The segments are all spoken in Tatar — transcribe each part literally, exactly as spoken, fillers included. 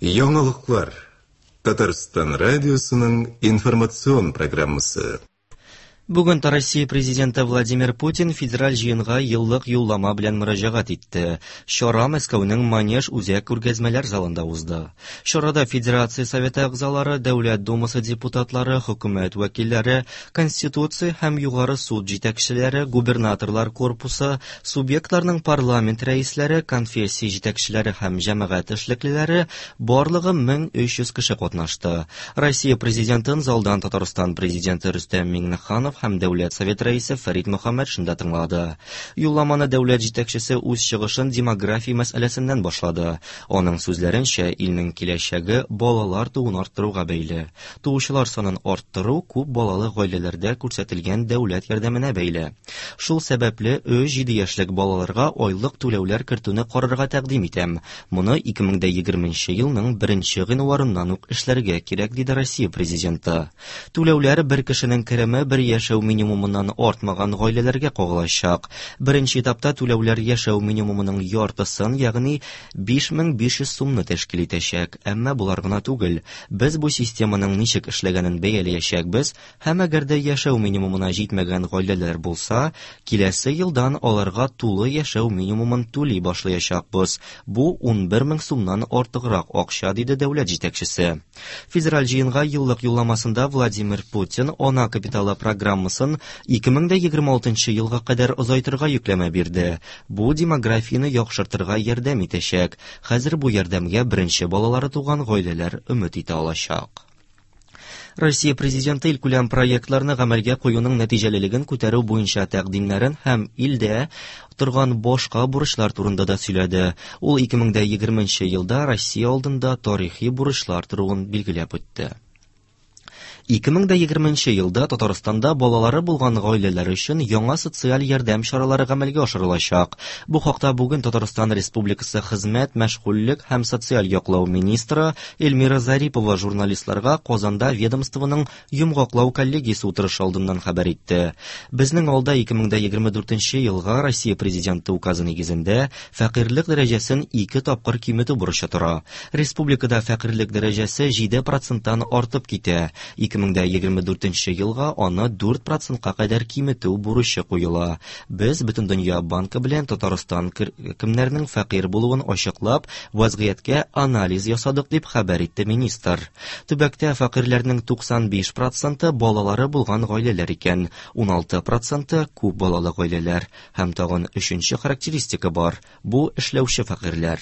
Яңалыклар. Татарстан радиосының информацион программасы. Бүген Россия президенты Владимир Путин федераль җыенга еллык юллама белән мөрәҗәгать итте. Чара Мәскәүнең Манеж үзәк күргәзмәләр залында узды. Чарада Федерация Советы әгъзалары, Дәүләт Думасы депутатлары, хөкүмәт вәкилләре, Конституция һәм Югары суд җитәкчеләре, губернаторлар корпусы, субъектларның парламент рәисләре, конфессия җитәкчеләре һәм җәмәгать эшлеклеләре, барлыгы мең өч йөз кеше катнашты. Россия президентын залдан Татарстан президенты Рөстәм Миңнеханов һәм Дәүләт Совет рәисе Фәрит Мөхәммәтшин дә тыңлады. Юлламаны дәүләт җитәкчесе үз чыгышын демография мәсьәләсеннән башлады. Аның сүзләренчә, илнең киләчәге балалар тууын арттыруга бәйле. Туучылар санын арттыру күп балалы гаиләләрдә күрсәтелгән дәүләт ярдәменә бәйле. Шул сәбәпле өч-җиде яшьлек балаларга айлык түләүләр кертүне карарга тәкъдим итәм. Моны ике мең дә егерменче елның беренче гыйнварыннан ук эшләргә кирәк, диде Россия президенты. Түләүләр бер кешенең кереме бер яшәү минимумыннан артмаган гаиләләргә кагылачак. Беренче этапта түләүләр яшәү минимумының яртысын, ягъни биш мең биш йөз сумны тәшкил итәчәк. Әмма болар гына түгел. Без бу системаның ничек эшләгәнен бәяләячәкбез һәм әгәр дә яшәү минимумына җитмәгән гаиләләр булса, киләсе елдан аларга тулы яшәү минимумын түли башлаячакбыз. Бу ун бер мең сумнан артыграк акча, диде дәүләт җитәкчесе. Федераль җыенга еллык юлламасында Владимир Путин ана капиталы программасын ике мең дә егерме алтынчы елга кадәр озайтырга йөкләмә бирде. Бу демографияне яхшыртырга ярдәм итәчәк. Хәзер бу ярдәмгә беренче балалары туган гаиләләр өмет итә алачак. Россия президенты илкүләм проектларны гамәлгә куюның нәтиҗәлелеген күтәрү буенча тәкъдимнәрен һәм илдә торган башка бурычлар турында да сөйләде. Ул ике мең дә егерменче елда Россия алдында тарихи бурычлар торуын билгеләп үтте. Ике мең дә егерменче елда Татарстанда балалары булган гаиләләр өчен яңа социаль ярдәм чаралары гамәлгә ашырылачак. Бу хакта бүген Татарстан Республикасы Хезмәт, мәшгульлек һәм социаль яклау министры Эльмира Зарипова журналистларга Казанда ведомствоның йомгаклау коллегиясе утырышы алдыннан хәбәр итте. Безнең алда ике мең дә егерме дүртенче елга Россия президенты указы нигезендә фәкыйрьлек дәрәҗәсен ике тапкыр киметү бурычы тора. Республикада фәкыйрьлек дәрәҗәсе җиде проценттан артып китә. Ике мең дә егерме дүртенче елга аны дүрт процентка кадәр киметү бурычы куела. Без Бөтендөнья банкы белән Татарстан кер-, кемнәрнең фәкыйрь булуын ачыклап, вазгыятькә анализ ясадык, дип хәбәр итте министр. Төбәктә фәкыйрьләрнең туксан биш проценты балалары булган гаиләләр икән, ун алты проценты күп балалы гаиләләр. Һәм тагын өченче характеристика бар – бу эшләүче фәкыйрьләр.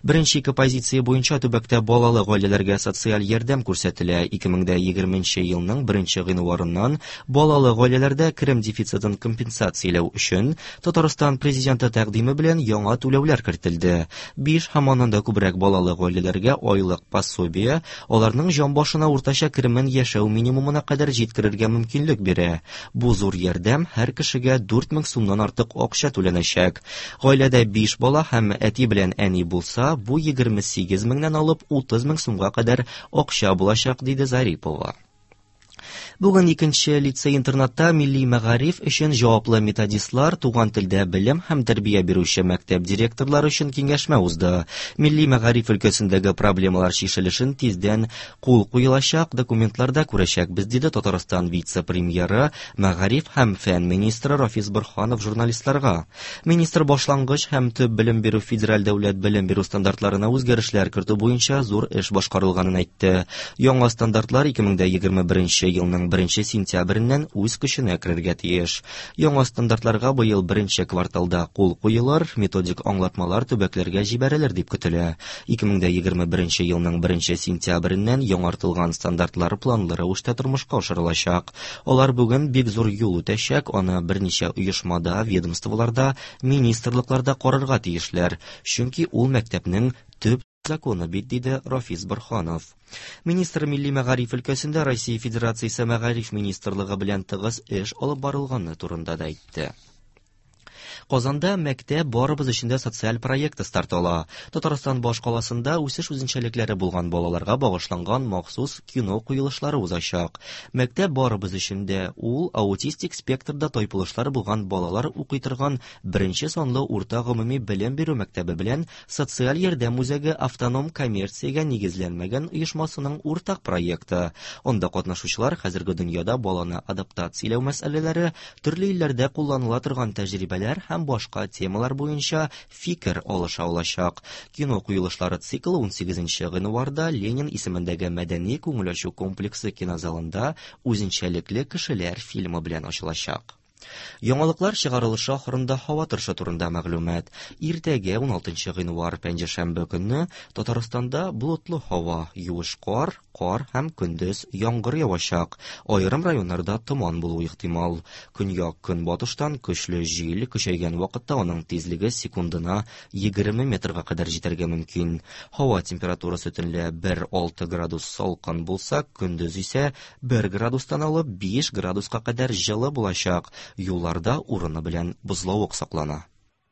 Беренче ике позиция буенча төбәктә балалы гаиләләргә социаль ярдәм күрсәтелә. Ике мең дә егерменче елның беренче гыйнварыннан балалы гаиләләрдә керем дефицитын компенсацияләү өчен Татарстан президенты тәкъдиме белән яңа түләүләр кертелде. Биш һәм аннан да күбрәк балалы гаиләләргә айлык пособие аларның җан башына уртача керемен яшәү минимумына кадәр җиткерергә мөмкинлек бирә. Бу зур ярдәм һәр кешегә дүрт мең сумнан артык акча түләнәчәк. Гаиләдә биш бала һәм әти белән әни булса, бу егерме сигез меңнән алып утыз мең сумга кадәр акча булачак, диде Зарипова. Бүген икенче лицей-интернатта милли мәгариф өчен җаваплы методистлар, туган телдә белем һәм тәрбия бирүче мәктәп директорлары өчен киңәшмә узды. Милли мәгариф өлкәсендәге проблемалар чишелешен тиздән кул куелачак документларда күрәчәкбез, диде Татарстан вице-премьеры, мәгариф һәм фән министры Рафис Борһанов журналистларга. Министр башлангыч һәм төп белем бирү федераль дәүләт белем бирү стандартларына үзгәрешләр кертү буенча зур эш башкарылганын әйтте. Яңа стандартлар ике мең дә егерме беренче елның беренче сентябреннән үз көченә керергә тиеш. Яңа стандартларга быел беренче кварталда кул куелыр, методик аңлатмалар төбәкләргә җибәрелер дип көтелә. Ике мең дә егерме беренче елның беренче сентябреннән яңартылган стандартлар планлы рәвештә тормышка ашырылачак. Алар бүген бик зур юл үтәчәк, аны берничә оешмада, ведомстволарда, министрлыкларда карарга тиешләр, чөнки ул мәктәпнең төп законы бит, диде Рафис Борһанов. Министр милли мәгариф өлкәсендә Россия Федерациясе Мәгариф министрлыгы белән тыгыз эш алып барылганы турында да әйтте. Казанда мәктәп барыбыз өчен дә социаль проекты старт ала. Татарстан башкаласында үсеш үзенчәлекләре булган балаларга багышланган махсус кино куелышлары узачак. Мәктәп барыбыз өчен дә ул аутистик спектрда тайпылышлар булган балалар укый торган беренче санлы урта гомуми белем бирү мәктәбе белән социаль ярдәм үзәге автоном коммерциягә нигезләнмәгән оешмасының уртак проекты. Анда катнашучылар хәзерге дөньяда баланы адаптацияләү мәсьәләләре, төрле илләрдә кулланыла торган тәҗрибәләр һәм башка темалар буенча фикер алыша алачак. Кино куелышлары циклы унсигезенче гыйнварда Ленин исемендәге мәдәни күңел ачу комплексы кинозалында Үзенчәлекле кешеләр фильмы белән ачылачак. Яңалыклар чыгарылышы ахырында һава торышы турында мәгълүмат. Иртәгә уналтынчы гыйнвар пәнҗешәмбе көнне Татарстанда болытлы һава, юеш кар, кар һәм көндез яңгыр явачак. Аерым районнарда томан булуы ихтимал. Көньяк көнбатыштан көчле җил көчәйгән вакытта аның тизлеге секундына егерме метрга кадәр җитәргә мөмкин. Һава температурасы төнлә бер алты градус салкын булса, көндез исә бер градустан алып биш градуска кадәр җылы булачак. Юлларда урыны белән бозлавык саклана.